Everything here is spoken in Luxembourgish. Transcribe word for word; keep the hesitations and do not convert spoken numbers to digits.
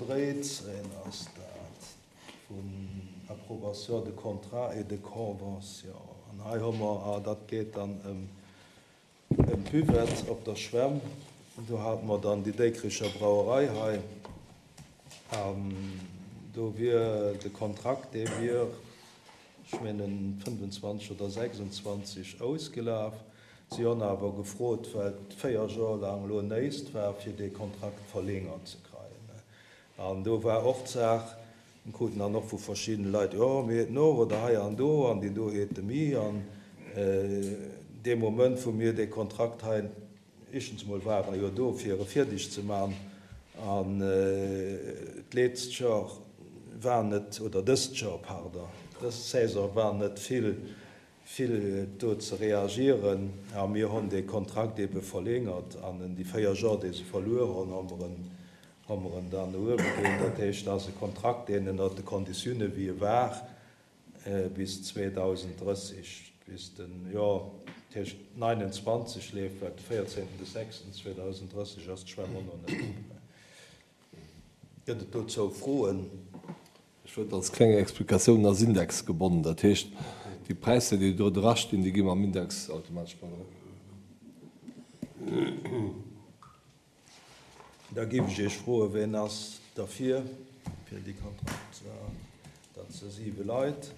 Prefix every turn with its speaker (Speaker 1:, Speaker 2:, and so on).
Speaker 1: dréizéng ass dat, vun Approbation de contrats et de conventions. An hei hu mer, ah, dat geet dann ëm ëm d'Buvette op der Schwämm. Do hate mer dann déi Déikricher Brauerei hei. An do wier de Kontrakt, dee wier, ech mengen, fënnfenzwanzeg oder sechsundzwanzeg ausgelaf. Si honn awer gefrot, well et véier Joer laang elo néist war, fir dee Kontrakt verlängert ze kreien. An do war och d'Saach, mir kruten dann och vu verschiddene Leit, jo, mir heeten och, oder hei an do, an déi do heete mi. An dee Moment, wou mir dee Kontrakt hei, éischtens emol war e jo do, fir e fierdeg ze man, an d'leetzt Joer war net, oder dëst Joer, pardon, dës Saison war net vill, vill do ze reagieren, a mir honn dee Kontrakt ebe verlängert, an en déi véier Joer, déi se verluer honn, hu mer en, hu mer en dann no uewe ginn. Dat heescht, dat ass e Kontrakt, deen ënnert de Konditioune wéi e war bis zweedausenddrësseg, bis den, jo, dat heescht neunundzwanzeg leeft, well de véierzéngten de sechsten zweedausenddrësseg ass d'Schwämm och nach net op. Gëtt et dozou Froen?
Speaker 2: Ech wëllt als kleng Explikatioun, ass indexgebonnen, dat heescht, déi Präisser, déi do drastinn, déi gi mam Index automatesch mat erop.
Speaker 1: Da géif ech Iech froen, Ween ass derfir, fir déi Kontrakter? Dat si siwe Leit.